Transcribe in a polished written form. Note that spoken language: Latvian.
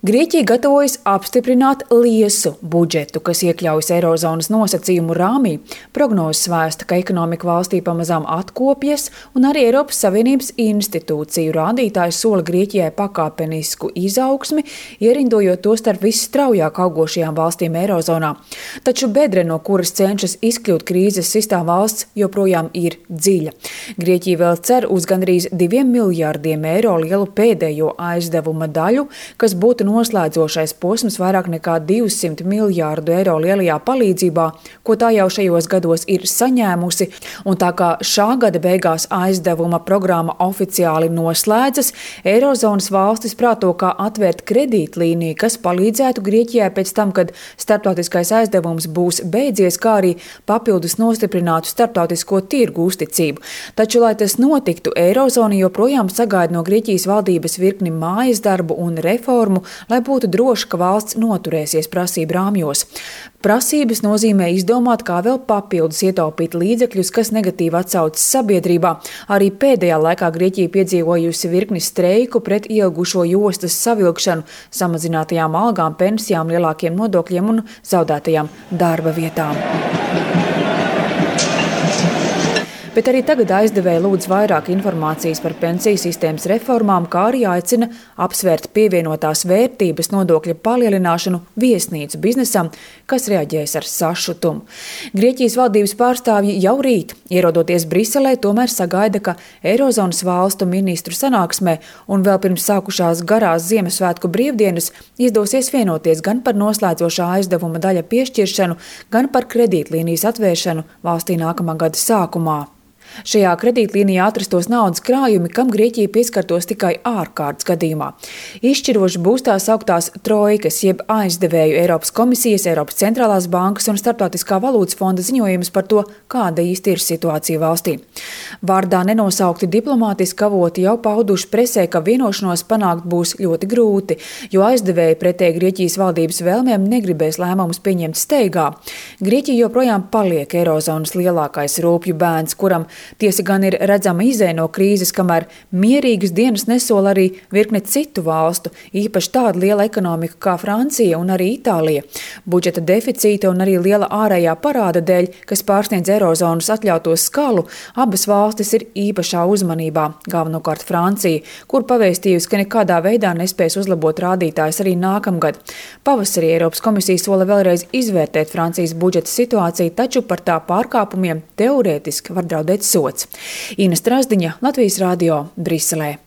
Grieķija gatavojas apstiprināt liesu budžetu, kas iekļaujas Eirozonas nosacījumu rāmī. Prognozes vēsta, ka ekonomika valstī pamazām atkopjas, un arī Eiropas Savienības institūciju rādītāji sola Grieķijai pakāpenisku izaugsmi, ierindojot to starp visstraujāk augošajām valstīm Eirozonā. Taču bedre, no kuras cenšas izkļūt krīzes sistā valsts, joprojām ir dziļa. Grieķija vēl cer uz gandrīz 2 miljārdiem eiro lielu pēdējo aizdevuma daļu, kas būtu noslēdzošais posms vairāk nekā 200 miljārdu eiro lielajā palīdzībā, ko tā jau šajos gados ir saņēmusi, un tā kā šā gada beigās aizdevuma programma oficiāli noslēdzas, Eirozonas valstis prāto, kā atvērt kredītlīniju, kas palīdzētu Grieķijai pēc tam, kad starptautiskais aizdevums būs beidzies, kā arī papildus nostiprinātu starptautisko tirgu uzticību. Taču, lai tas notiktu, Eirozona joprojām sagaida no Grieķijas valdības virkni mājas darbu un reformu, lai būtu droši, ka valsts noturēsies prasību rāmjos. Prasības nozīmē izdomāt, kā vēl papildus ietaupīt līdzekļus, kas negatīvi atsaucas sabiedrībā. Arī pēdējā laikā Grieķija piedzīvojusi virkni streiku pret ilgušo jostas savilkšanu, samazinātajām algām, pensijām, lielākiem nodokļiem un zaudētajām darba vietām. Bet arī tagad aizdevēji lūdz vairāk informācijas par pensiju sistēmas reformām, kā arī aicina apsvērt pievienotās vērtības nodokļa palielināšanu viesnīcu biznesam, kas reaģēs ar sašutumu. Grieķijas valdības pārstāvji jau rīt, ierodoties Briselē, tomēr sagaida, ka Eirozonas valstu ministru sanāksmē un vēl pirms sākušās garās Ziemassvētku brīvdienas izdosies vienoties gan par noslēdzošā aizdevuma daļa piešķiršanu, gan par kredītlīnijas atvēršanu valstī nākamā gada sākumā. Šajā kredītlīnijā atrastos naudas krājumi, kam Grieķija pieskartos tikai ārkārtas gadījumā. Izšķiroši būs tās augtās trojkas, jeb aizdevēju Eiropas komisijas, Eiropas centrālās bankas un Starptautiskā valūtas fonda ziņojums par to, kāda īsti ir situācija valstī. Vārdā nenosaukti diplomātiski avoti jau pauduši presē, ka vienošanos panākt būs ļoti grūti, jo aizdevēji pretēji Grieķijas valdības vēlmēm negribēs lēmumus pieņemt steigā. Grieķija joprojām paliek Eirozonas lielākais rūpju bērns, kuram tiesa gan ir redzama izēja no krīzes, kamēr mierīgas dienas nesola arī virkne citu valstu, īpaši tāda liela ekonomika kā Francija un arī Itālija. Budžeta deficīta un arī liela ārējā parāda dēļ, kas pārsniedz Eirozonas atļauto skalu, abas valstis ir īpašā uzmanībā, galvenokārt Francija, kur pavēstījusi, ka nekādā veidā nespēs uzlabot rādītājus arī nākamgad. Pavasarī Eiropas komisija sola vēlreiz izvērtēt Francijas budžeta situāciju, taču par tā pārkāpumiem teorētiski var draudēt sots. Ina Strazdiņa, Latvijas radio, Briselē.